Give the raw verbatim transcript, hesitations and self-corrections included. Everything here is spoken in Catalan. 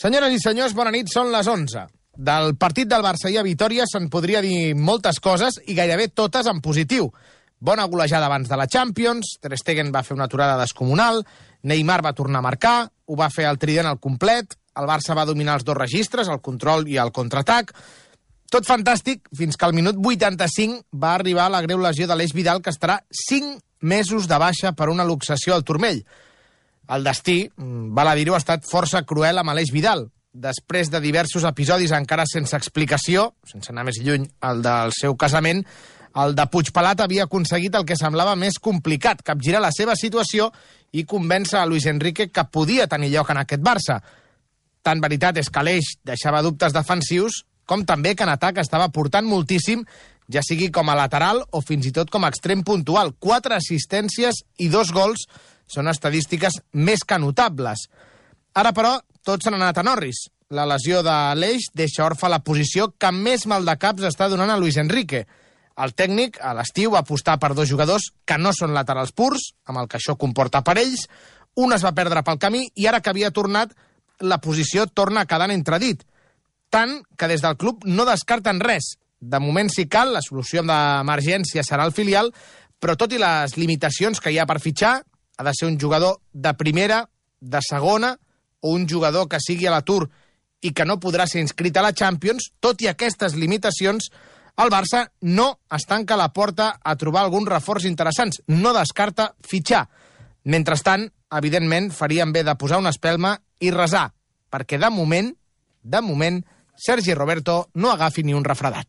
Senyores i senyors, bona nit, són les onze. Del partit del Barça i a Vitòria se'n podria dir moltes coses i gairebé totes en positiu. Bona golejada abans de la Champions, Ter Stegen va fer una aturada descomunal, Neymar va tornar a marcar, ho va fer el trident al complet, el Barça va dominar els dos registres, el control i el contraatac. Tot fantàstic, fins que al minut vuitanta-cinc va arribar la greu lesió de l'Aleix Vidal, que estarà cinc mesos de baixa per una luxació al turmell. El destí, val a dir-ho, ha estat força cruel amb Aleix Vidal. Després de diversos episodis encara sense explicació, sense anar més lluny el del seu casament, el de Puigpelat havia aconseguit el que semblava més complicat, capgirar la seva situació i convèncer a Luis Enrique que podia tenir lloc en aquest Barça. Tant veritat és que Aleix deixava dubtes defensius, com també que en atac estava portant moltíssim, ja sigui com a lateral o fins i tot com a extrem puntual. Quatre assistències i dos gols són estadístiques més que notables. Ara, però, tots s'han anat a Norris. La lesió de l'Eix deixa orfa la posició que més maldecaps està donant a Luis Enrique. El tècnic, a l'estiu, va apostar per dos jugadors que no són laterals purs, amb el que això comporta per ells. Un es va perdre pel camí i ara que havia tornat, la posició torna a quedar en entredit. Tant que des del club no descarten res. De moment, si cal, la solució d'emergència serà el filial, però tot i les limitacions que hi ha per fitxar, ha de ser un jugador de primera, de segona, o un jugador que sigui a l'atur i que no podrà ser inscrit a la Champions. Tot i aquestes limitacions, el Barça no es tanca la porta a trobar algun reforç interessants. No descarta fitxar. Mentrestant, evidentment, farien bé de posar una espelma i resar, perquè de moment, de moment, Sergi Roberto no agafi ni un refredat.